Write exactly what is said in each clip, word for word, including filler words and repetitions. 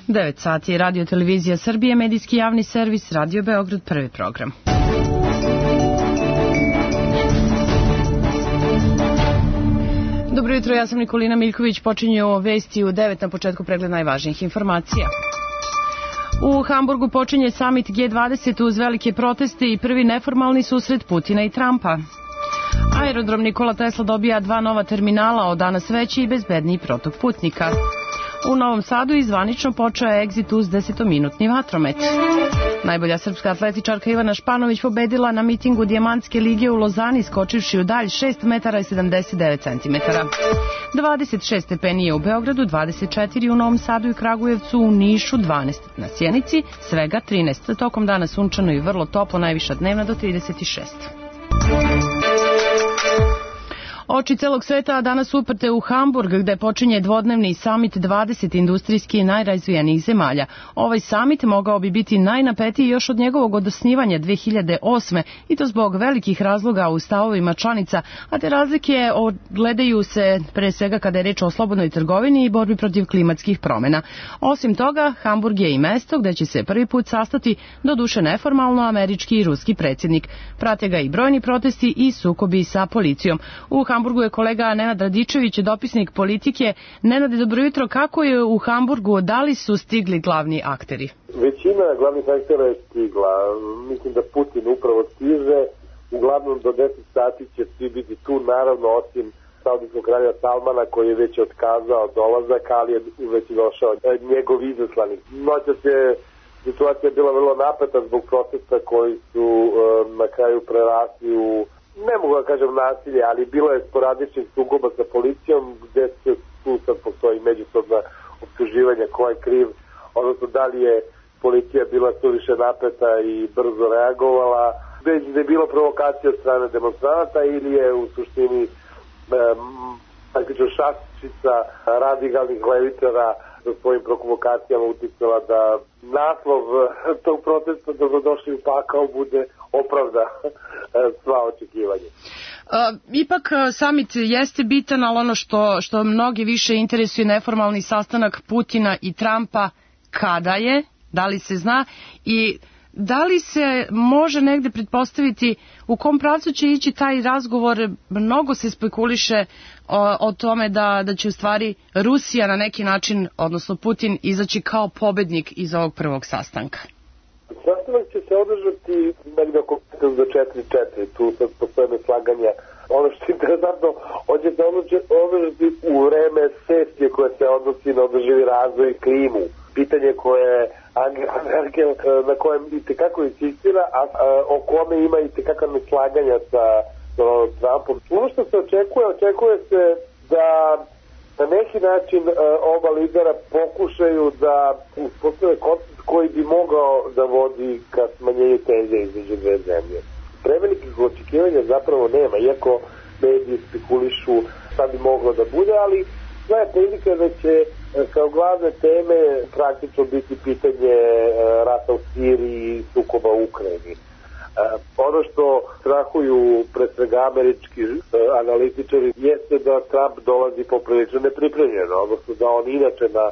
devet sati, Radio Televizija Srbije, medijski javni servis, Radio Beograd, prvi program. Dobro jutro, ja sam Nikolina Miljković, počinju vesti u devet na početku pregled najvažnijih informacija. U Hamburgu počinje samit G dvadeset uz velike proteste i prvi neformalni susret Putina i Trumpa. Aerodrom Nikola Tesla dobija dva nova terminala, od danas veći i bezbedniji protok putnika. U Novom Sadu izvanično počeo je egzit uz desetominutni vatromet. Najbolja srpska atletičarka Ivana Španović pobedila na mitingu Dijamantske lige u Lozani, skočivši u dalj šest metara i sedamdeset devet centimetara. dvadeset šest stepeni je u Beogradu, dvadeset četiri u Novom Sadu i Kragujevcu, u Nišu dvanaest, na Sjenici svega trinaest. Tokom dana sunčano i vrlo toplo, najviša dnevna do trideset šest. Oči celog sveta danas uprte u Hamburg, gde počinje dvodnevni samit dvadeset industrijski najrazvijenijih zemalja. Ovaj samit mogao bi biti najnapetiji još od njegovog odosnivanja dve hiljade osme i to zbog velikih razloga u stavovima članica, a te razlike ogledaju se pre svega kada je reč o slobodnoj trgovini i borbi protiv klimatskih promjena. Osim toga, Hamburg je i mesto gde će se prvi put sastati, doduše neformalno, američki i ruski predsjednik. Prate ga i brojni protesti i sukobi sa policijom. U Hamburgu je kolega Nenad Radičević, dopisnik Politike. Nenade, dobro jutro. Kako je u Hamburgu? Da li su stigli glavni akteri? Većina glavnih aktera je stigla. Mislim da Putin upravo stiže. Uglavnom do deset sati će svi biti tu, naravno osim saudijskog kralja Salmana koji je već otkazao dolazak, ali je već došao njegov izaslanik. Noćas je situacija bila vrlo napeta zbog protesta koji su na kraju prerasli u, ne mogu da kažem nasilje, ali bilo je sporadičnih sukoba sa policijom gde se tu sad postoji međusobna optuživanja ko je kriv, odnosno da li je policija bila suviše napeta i brzo reagovala, već da je bilo provokacija od strane demonstranata ili je u suštini praktično šačica radikalnih levičara sa svojim provokacijama uticala da naslov tog protesta dobrodošli u pakao bude opravda sva očekivanja. Uh, ipak samit jeste bitan, ali ono što, što mnogi više interesuje neformalni sastanak Putina i Trumpa, kada je, da li se zna i da li se može negde pretpostaviti u kom pravcu će ići taj razgovor. Mnogo se spekuliše o, o tome da, da će u stvari Rusija na neki način, odnosno Putin, izaći kao pobednik iz ovog prvog sastanka. Sastanak će se održati negdje oko do četiri četiri, tu sad postoje neslaganja. Ono što je interesantno, on će se održati u vreme sesije koje se odnosi na održivi razvoj i klimu. Pitanje koje Angela Merkel na kojem itekako insistira, a, a o kome ima itekako neslaganja sa Donaldom Trumpom. Ono što se očekuje, očekuje se da na neki način a, oba lidera pokušaju da uspostave koncept koji bi mogao da vodi ka smanjenju tenzija između dve zemlje. Prevelikih očekivanja zapravo nema, iako mediji spekulišu šta bi moglo da bude, ali sva je prilika da će kao glavne teme praktično biti pitanje rata u Siriji i sukoba u Ukrajini. Ono što strahuju pre svega američki analitičari jeste da Trump dolazi poprilično nepripremljeno, odnosno da on inače na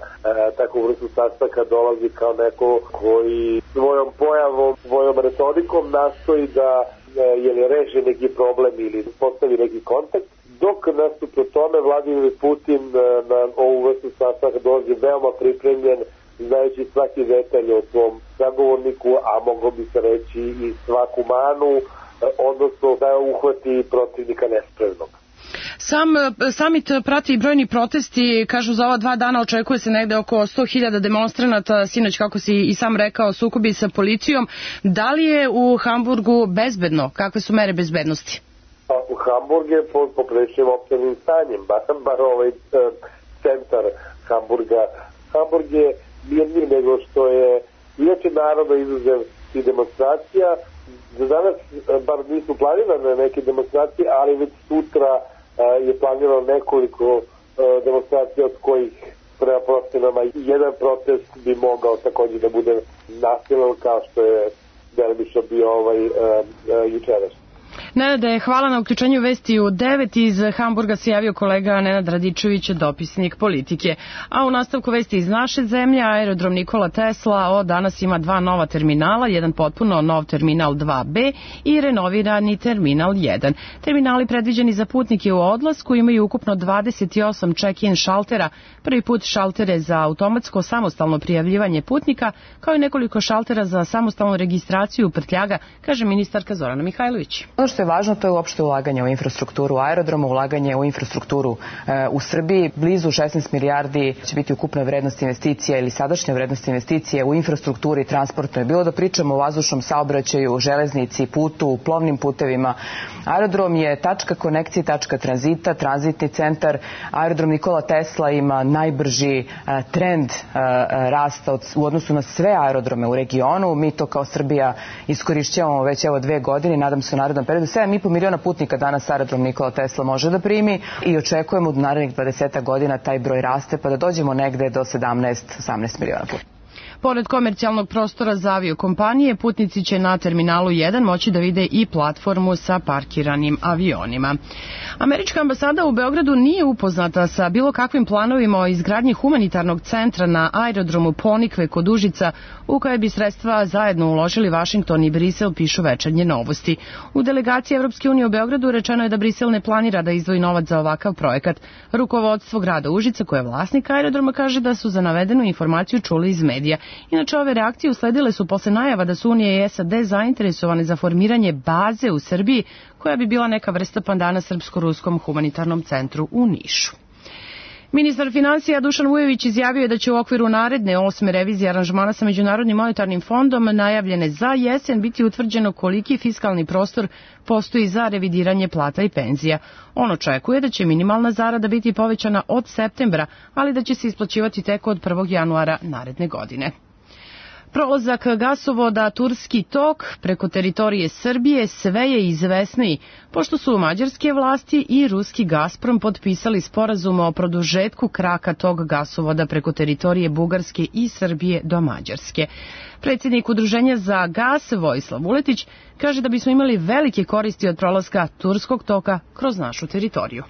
takvu vrstu sastanka dolazi kao neko koji svojom pojavom, svojom retorikom nastoji da je reši neki problem ili postavi neki kontakt, dok nasuprot tome Vladimir Putin na ovu vrstu sastanka dolazi veoma pripremljen, znajući svaki detalj o svom sagovorniku, a moglo bi se reći i svaku manu, odnosno da uhvati protivnika nespremnog. Sam samit prati i brojni protesti, kažu za ova dva dana očekuje se negde oko sto hiljada demonstranata, sinoć kako si i sam rekao sukobi sa policijom. Da li je u Hamburgu bezbedno? Kakve su mere bezbednosti? U Hamburg je pod poprečnim općenim stanjem, bar, bar ovaj e, centar Hamburga. Hamburg je mirniji nego što je inače naravno izuzev i demonstracija. Za danas bar nisu planirane neke demonstracije, ali već sutra e, je planirano nekoliko e, demonstracija od kojih prema procenama jedan protest bi mogao također da bude nasilan kao što je delimično bio ovaj e, e, jučerašnji. Nenade, hvala na uključenju vesti u devet. Iz Hamburga se javio kolega Nenad Radičević, dopisnik Politike. A u nastavku vesti iz naše zemlje, aerodrom Nikola Tesla od danas ima dva nova terminala, jedan potpuno nov terminal dva B i renovirani terminal jedan. Terminali predviđeni za putnike u odlasku imaju ukupno dvadeset osam check-in šaltera, prvi put šaltere za automatsko samostalno prijavljivanje putnika, kao i nekoliko šaltera za samostalnu registraciju prtljaga, kaže ministarka Zorana Mihajlović. Ono što je važno, to je uopšte ulaganje u infrastrukturu aerodroma, ulaganje u infrastrukturu e, u Srbiji. Blizu šesnaest milijardi će biti ukupna vrednost investicija ili sadašnja vrednost investicije u infrastrukturi transportnoj. Bilo da pričamo o vazdušnom saobraćaju, železnici, putu, plovnim putevima. Aerodrom je tačka konekcije, tačka tranzita, tranzitni centar. Aerodrom Nikola Tesla ima najbrži e, trend e, rasta od, u odnosu na sve aerodrome u regionu. Mi to kao Srbija iskorišćavamo već evo dve godine, nadam se u narednom periodu. sedam i po miliona putnika danas aerodrom Nikola Tesla može da primi i očekujemo u narednih dvadeset godina taj broj raste pa da dođemo negde do sedamnaest do osamnaest miliona putnika. Pored komercijalnog prostora za aviokompanije, putnici će na terminalu jedan moći da vide i platformu sa parkiranim avionima. Američka ambasada u Beogradu nije upoznata sa bilo kakvim planovima o izgradnji humanitarnog centra na aerodromu Ponikve kod Užica, u koje bi sredstva zajedno uložili Vašington i Brisel, pišu Večernje novosti. U delegaciji Evropske unije u Beogradu rečeno je da Brisel ne planira da izdvoji novac za ovakav projekat. Rukovodstvo grada Užica, koje je vlasnik aerodroma, kaže da su za navedenu informaciju čuli iz medija. Inače, ove reakcije usledile su posle najava da su Unija i S A D zainteresovane za formiranje baze u Srbiji, koja bi bila neka vrsta pandana Srpsko-ruskom humanitarnom centru u Nišu. Ministar finansija Dušan Vujović izjavio je da će u okviru naredne osme revizije aranžmana sa Međunarodnim monetarnim fondom najavljene za jesen biti utvrđeno koliki fiskalni prostor postoji za revidiranje plata i penzija. On očekuje da će minimalna zarada biti povećana od septembra, ali da će se isplaćivati tek od prvog januara naredne godine. Prolazak gasovoda Turski tok preko teritorije Srbije sve je izvesniji, pošto su mađarske vlasti i ruski Gazprom potpisali sporazum o produžetku kraka tog gasovoda preko teritorije Bugarske i Srbije do Mađarske. Predsjednik Udruženja za gas Vojislav Vuletić kaže da bismo imali velike koristi od prolaska Turskog toka kroz našu teritoriju.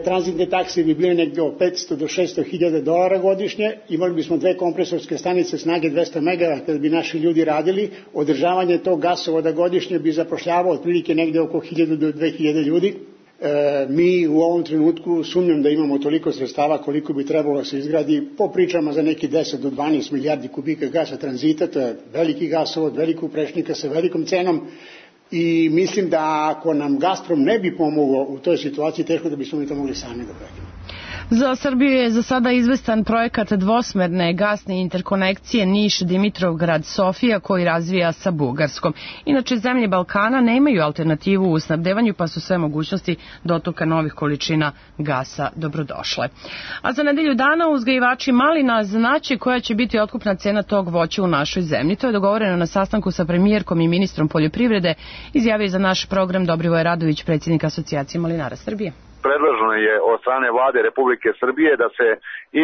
Tranzitne takse bi bile negde od petsto do šesto hiljada dolara godišnje, imali bismo dve kompresorske stanice snage dvesta megavata kada bi naši ljudi radili, održavanje tog gasovoda godišnje bi zapošljavao otprilike negde oko hiljadu do dve hiljade ljudi. E, mi u ovom trenutku sumnjam da imamo toliko sredstava koliko bi trebalo da se izgradi, po pričama za neki deset do dvanaest milijardi kubika gasa tranzita, to je veliki gasovod, velikog prečnika sa velikom cenom. I mislim da ako nam Gazprom ne bi pomogao u toj situaciji, teško da bismo mi to mogli sami da pravimo. Za Srbiju je za sada izvestan projekat dvosmerne gasne interkonekcije Niš-Dimitrovgrad-Sofija koji razvija sa Bugarskom. Inače, zemlje Balkana nemaju alternativu u snabdevanju, pa su sve mogućnosti dotoka novih količina gasa dobrodošle. A za nedelju dana uzgajivači malina znaće koja će biti otkupna cena tog voća u našoj zemlji. To je dogovoreno na sastanku sa premijerkom i ministrom poljoprivrede, izjavio za naš program Dobrivoje Radović, predsjednik Asocijacije malinara Srbije. Predloženo je od strane vlade Republike Srbije da se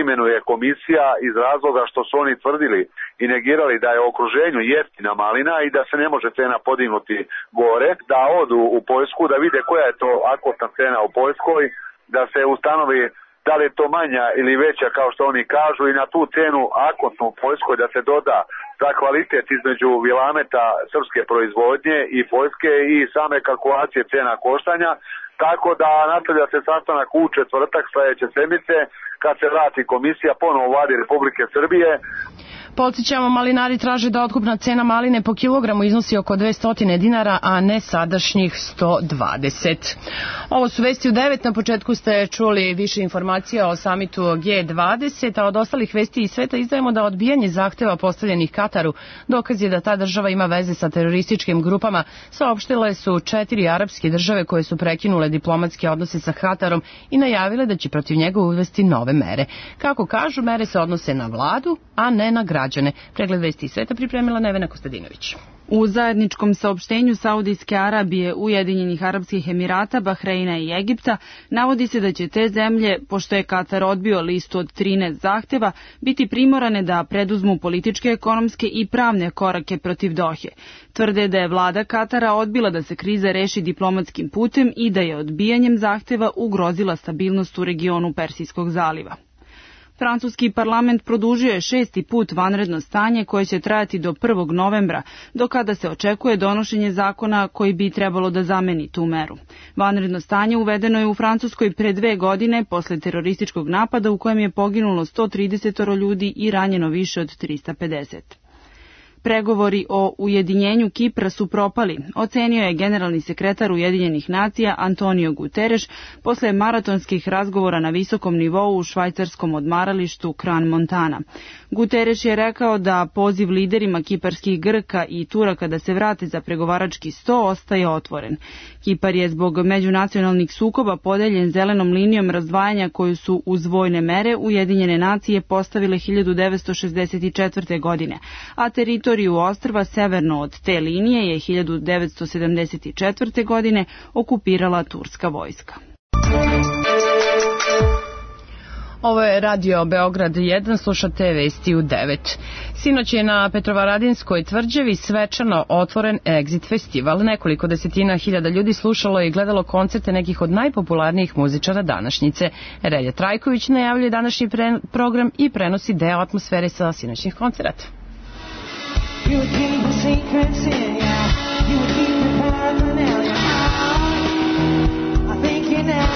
imenuje komisija iz razloga što su oni tvrdili i negirali da je u okruženju jeftina malina i da se ne može cena podignuti gore, da odu u Poljsku, da vide koja je to akutna cena u Poljskoj, da se ustanovi da li je to manja ili veća kao što oni kažu i na tu cenu akutnu u Poljskoj da se doda za kvalitet između vilameta srpske proizvodnje i Poljske i same kalkulacije cena koštanja. Tako da nastavlja se sastanak u četvrtak sledeće sedmice kad se vrati komisija ponovo u vladi Republike Srbije. Podsjećamo, malinari traže da otkupna cena maline po kilogramu iznosi oko dvesta dinara, a ne sadašnjih sto dvadeset. Ovo su vesti u devet. Na početku ste čuli više informacija o samitu G dvadeset, a od ostalih vesti iz sveta izdajemo da odbijanje zahteva postavljenih Kataru dokaz je da ta država ima veze sa terorističkim grupama. Saopštile su četiri arapske države koje su prekinule diplomatske odnose sa Katarom i najavile da će protiv njega uvesti nove mere. Kako kažu, mere se odnose na vladu, a ne na građane građane. Pregled vesti iz sveta pripremila Nevena Kostadinović. U zajedničkom saopštenju Saudijske Arabije, Ujedinjenih Arapskih Emirata, Bahreina i Egipta navodi se da će te zemlje, pošto je Katar odbio listu od trinaest zahteva, biti primorane da preduzmu političke, ekonomske i pravne korake protiv Dohe. Tvrde da je vlada Katara odbila da se kriza reši diplomatskim putem i da je odbijanjem zahteva ugrozila stabilnost u regionu Persijskog zaliva. Francuski parlament produžio je šesti put vanredno stanje koje će trajati do prvog novembra, do kada se očekuje donošenje zakona koji bi trebalo da zameni tu meru. Vanredno stanje uvedeno je u Francuskoj pre dve godine posle terorističkog napada u kojem je poginulo sto trideset ljudi i ranjeno više od trista pedeset. Pregovori o ujedinjenju Kipra su propali, ocenio je generalni sekretar Ujedinjenih nacija Antonio Guterres posle maratonskih razgovora na visokom nivou u švajcarskom odmaralištu Crans-Montana. Guterres je rekao da poziv liderima kiparskih Grka i Turaka da se vrate za pregovarački sto ostaje otvoren. Kipar je zbog međunacionalnih sukoba podeljen zelenom linijom razdvajanja koju su uz vojne mere Ujedinjene nacije postavile hiljadu devetsto šezdeset četvrte. godine, a teritoriju ostrva severno od te linije je hiljadu devetsto sedamdeset četvrte. godine okupirala turska vojska. Ovo je Radio Beograd jedan, slušate vesti u devet. Sinoć je na Petrovaradinskoj tvrđavi svečano otvoren Exit festival. Nekoliko desetina hiljada ljudi slušalo i gledalo koncerte nekih od najpopularnijih muzičara današnjice. Relja Trajković najavljuje današnji pre program i prenosi deo atmosfere sa sinoćnih koncerata. You would keep the secrets in ya. You would keep the paraphernalia. I think you know.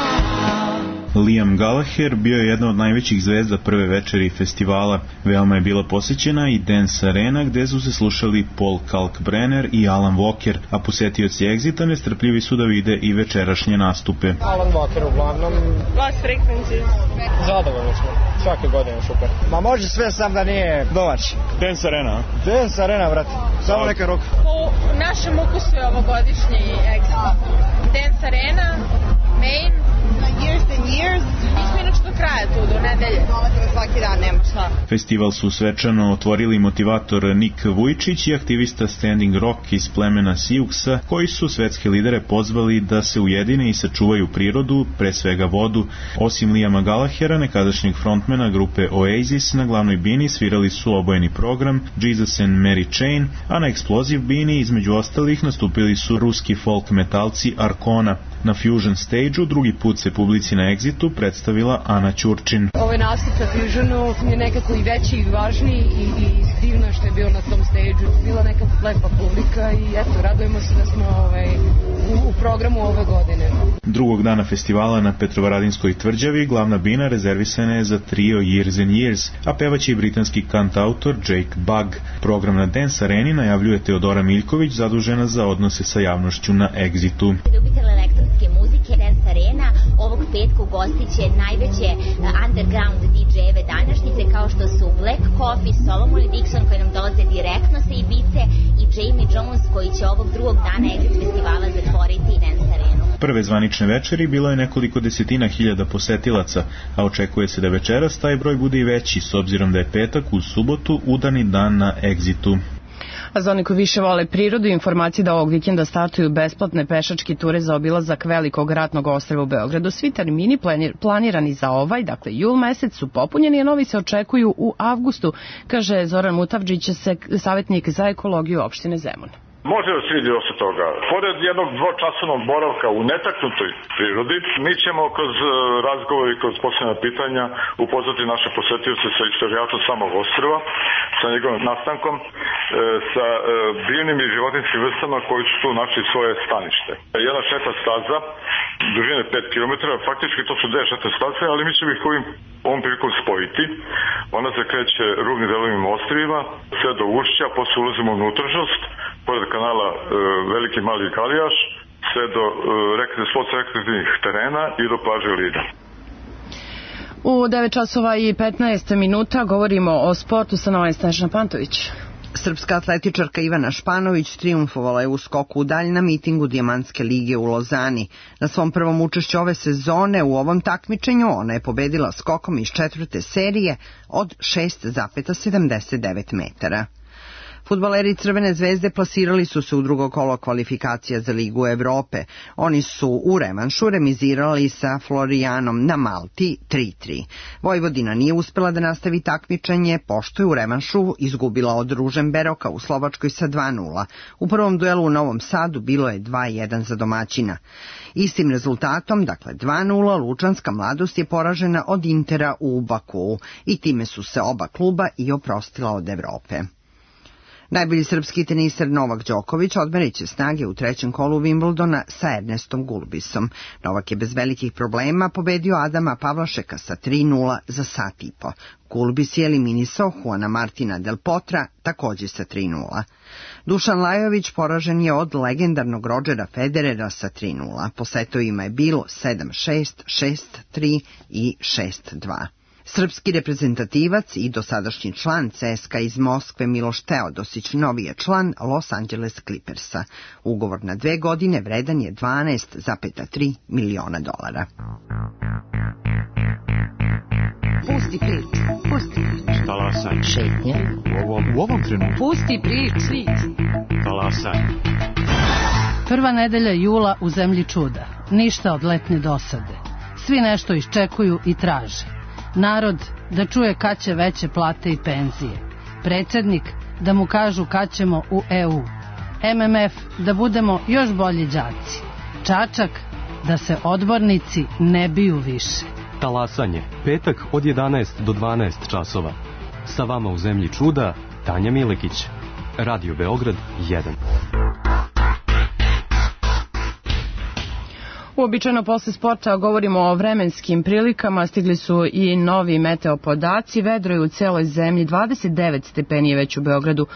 Liam Gallagher bio je jedna od najvećih zvezda prve večeri festivala. Veoma je bila posećena i Dance Arena gde su se slušali Paul Kalkbrenner i Alan Walker, a posetioci Exita nestrpljivi su da vide i večerašnje nastupe. Alan Walker uglavnom. Lost Frequencies. Zadovoljni smo. Svake godine super. Ma može sve sam da nije domaći. Dance Arena? Dance Arena, brate. Samo neka ruka. Po našem ukusu je ovogodišnji Exit. Dance Arena, Main, Years and Years. Mi smo inače do kraja tu, do nedelje. Dolazimo svaki dan, nema šta. Festival su svečano otvorili motivator Nik Vujčić i aktivista Standing Rock iz plemena Siouxa, koji su svetske lidere pozvali da se ujedine i sačuvaju prirodu, pre svega vodu. Osim Liama Gallaghera, nekadašnjeg frontmana grupe Oasis, na glavnoj bini svirali su obojeni program Jesus and Mary Chain, a na Explosive bini između ostalih nastupili su ruski folk metalci Arkona. Na Fusion stage-u drugi put se publici na Exitu predstavila Ana Ćurčin. Ovaj nastup na Fusionu je nekako i veći i važniji i, i divno što je bilo na tom stage-u. Bila neka lepa publika i eto, radujemo se da smo ovaj, u, u programu ove godine. Drugog dana festivala na Petrovaradinskoj tvrđavi glavna bina rezervisana je za trio Years and Years, a pevaće i britanski kantautor Jake Bugg. Program na Dance Areni najavljuje Teodora Miljković, zadužena za odnose sa javnošću na Exitu. Muzike Dance Arena ovog petka ugostit će najveće underground D J-eve današnjice kao što su Black Coffee, Solomon Dixon koji nam dolaze direktno sa Ibice i Jamie Jones koji će ovog drugog dana Exit festivala zatvoriti Dance Arenu. Prve zvanične večeri bilo je nekoliko desetina hiljada posetilaca, a očekuje se da večeras taj broj bude i veći s obzirom da je petak uz subotu udarni dan na Exitu. A za one koji više vole prirodu, informacije da ovog vikenda startuju besplatne pešačke ture za obilazak velikog ratnog ostrva u Beogradu. Svi termini planirani za ovaj, dakle jul mesec, su popunjeni, a novi se očekuju u avgustu, kaže Zoran Mutavdžić, savjetnik za ekologiju opštine Zemun. Može da se vidi dosta toga. Pored jednog dvočasovnog boravka u netaknutoj prirodi, mi ćemo kroz razgovor i kroz posljedna pitanja upoznati naše posetioce sa istorijatom samog ostrva, sa njegovim nastankom, sa biljnim i životinskim vrstama koji su tu našli svoje stanište. Jedna šetna staza, dužine pet kilometara, faktički to su dve šetne staze, ali mi ćemo ih ovim, ovom prilikom spojiti. Ona se kreće rubnim delovima ostrvima, sve do ušća, posle ulazimo u unutrašnjost, pored kanala e, Veliki Mali Kalijaš, sve do e, sportsko-rekreativnih terena i do plaže Lida. U devet časova i petnaest minuta govorimo o sportu sa Novom Snežana Pantović. Srpska atletičarka Ivana Španović trijumfovala je u skoku u dalj na mitingu Dijamantske lige u Lozani. Na svom prvom učešću ove sezone u ovom takmičenju ona je pobedila skokom iz četvrte serije od šest zarez sedamdeset devet metara. Fudbaleri Crvene zvezde plasirali su se u drugo kolo kvalifikacija za Ligu Evrope. Oni su u revanšu remizirali sa Florijanom na Malti tri tri. Vojvodina nije uspela da nastavi takmičenje, pošto je u revanšu izgubila od Ružemberoka u Slovačkoj sa dva nula. U prvom duelu u Novom Sadu bilo je dva jedan za domaćina. Istim rezultatom, dakle dva nula, Lučanska mladost je poražena od Intera u Bakuu i time su se oba kluba i oprostila od Evrope. Najbolji srpski teniser Novak Đoković odmerit će snage u trećem kolu Wimbledona sa Ernestom Gulbisom. Novak je bez velikih problema pobedio Adama Pavlašeka sa tri nula za sat i po. Gulbis je eliminisao Juana Martina Del Potra također sa tri nula. Dušan Lajović poražen je od legendarnog Rodgera Federera sa tri nula. Po setovima je bilo sedam šest, šest tri i šest dva. Srpski reprezentativac i dosadašnji član C S K A iz Moskve Miloš Teodosić novi je član Los Angeles Clippersa. Ugovor na dve godine vredan je dvanaest zarez tri miliona dolara. Pusti priču, pusti priču. Talasaj. Šetnja. U ovom, u ovom trenutku. Pusti priču. Talasaj. Prva nedelja jula u zemlji čuda. Ništa od letnje dosade. Svi nešto iščekuju i traže. Narod da čuje kad će veće plate i penzije. Predsjednik da mu kažu kad ćemo u E U. M M F da budemo još bolji đaci. Čačak da se odbornici ne biju više. Talasanje, petak od jedanaest do dvanaest časova. Sa vama u zemlji čuda, Tanja Milekić. Radio Beograd jedan. Uobičajeno posle sporta govorimo o vremenskim prilikama, stigli su i novi meteo podaci, vedro je u celoj zemlji, dvadeset devet stepeni je već u Beogradu,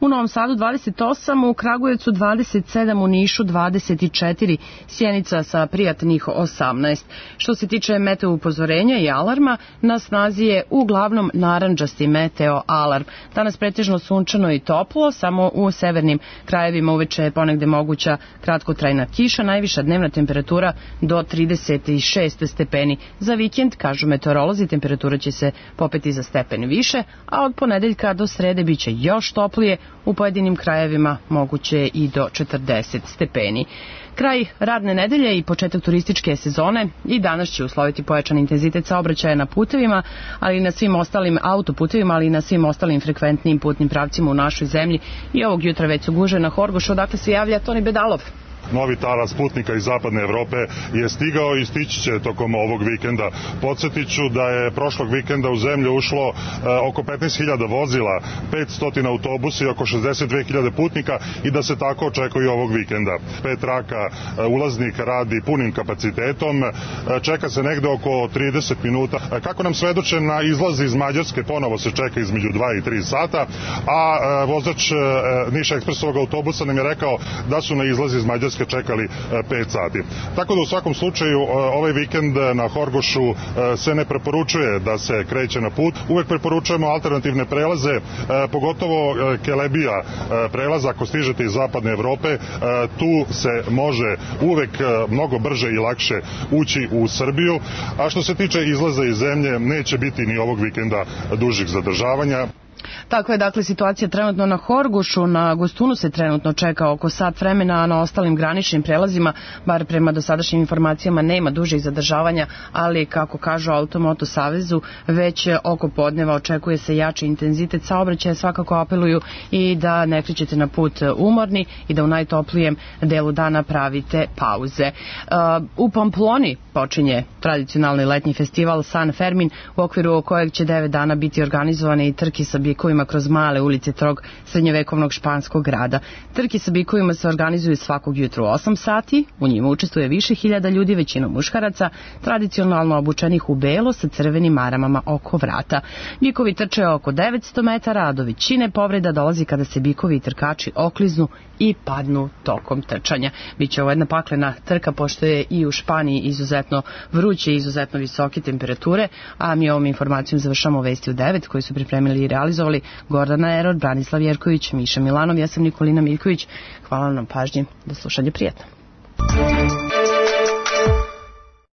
u Novom Sadu dvadeset osam, u Kragujevcu dvadeset sedam, u Nišu dvadeset četiri, Sjenica sa prijatnih osamnaest. Što se tiče meteo upozorenja i alarma, na snazi je uglavnom narandžasti meteo alarm. Danas pretežno sunčano i toplo, samo u severnim krajevima uveče je ponegde moguća kratkotrajna kiša, najviša dnevna temperatura do trideset šest stepeni. Za vikend, kažu meteorolozi, temperatura će se popeti za stepen više, a od ponedeljka do srede biće još toplije, u pojedinim krajevima moguće i do četrdeset stepeni. Kraj radne nedelje i početak turističke sezone i danas će usloviti pojačan intenzitet saobraćaja na putevima, ali i na svim ostalim autoputevima, ali i na svim ostalim frekventnim putnim pravcima u našoj zemlji. I ovog jutra već su gužve na Horgošu, odakle se javlja Toni Bedalov. Novi talas putnika iz zapadne Evrope je stigao i stići će tokom ovog vikenda. Podsjetit ću da je prošlog vikenda u zemlju ušlo e, oko petnaest hiljada vozila, petsto autobusa i oko šezdeset dve hiljade putnika i da se tako očekuje ovog vikenda. Pet traka e, ulaznik radi punim kapacitetom, e, čeka se negde oko trideset minuta. E, kako nam svedoče na izlazi iz Mađarske, ponovo se čeka između dva i tri sata, a e, vozač e, Niša ekspresovog autobusa nam je rekao da su na izlazi iz Mađarske čekali pet sati. Tako da u svakom slučaju ovaj vikend na Horgošu se ne preporučuje da se kreće na put. Uvek preporučujemo alternativne prelaze, pogotovo Kelebija prelaz ako stižete iz zapadne Evrope. Tu se može uvek mnogo brže i lakše ući u Srbiju. A što se tiče izlaza iz zemlje, neće biti ni ovog vikenda dužih zadržavanja. Takva je dakle situacija trenutno na Horgošu, na Gostunu se trenutno čeka oko sat vremena, a na ostalim graničnim prelazima, bar prema dosadašnjim informacijama, nema dužih zadržavanja, ali kako kažu Automoto Savezu, već oko podneva očekuje se jači intenzitet saobraćaja, svakako apeluju i da ne krećete na put umorni i da u najtoplijem delu dana pravite pauze. U Pamploni počinje tradicionalni letnji festival San Fermin, u okviru kojeg će devet dana biti organizovane i trke sa bikovima kroz male ulice tog srednjovekovnog španskog grada. Trke sa bikovima se organizuju svakog jutru u osam sati, u njima učestvuje više hiljada ljudi, većinom muškaraca, tradicionalno obučenih u belo sa crvenim maramama oko vrata. Bikovi trče oko devetsto metara, a do većine povreda dolazi kada se bikovi i trkači okliznu i padnu tokom trčanja. Biće ovo jedna paklena trka, pošto je i u Španiji izuzetno vruće i izuzetno visoke temperature, a mi ovom informacijom završamo vesti u devet koji su pripremili i realizovali realizovali Gordana Erod, Branislav Jerković, Miša Milanov, ja sam Nikolina Miljković. Hvala vam na pažnji, do slušanja, prijatno.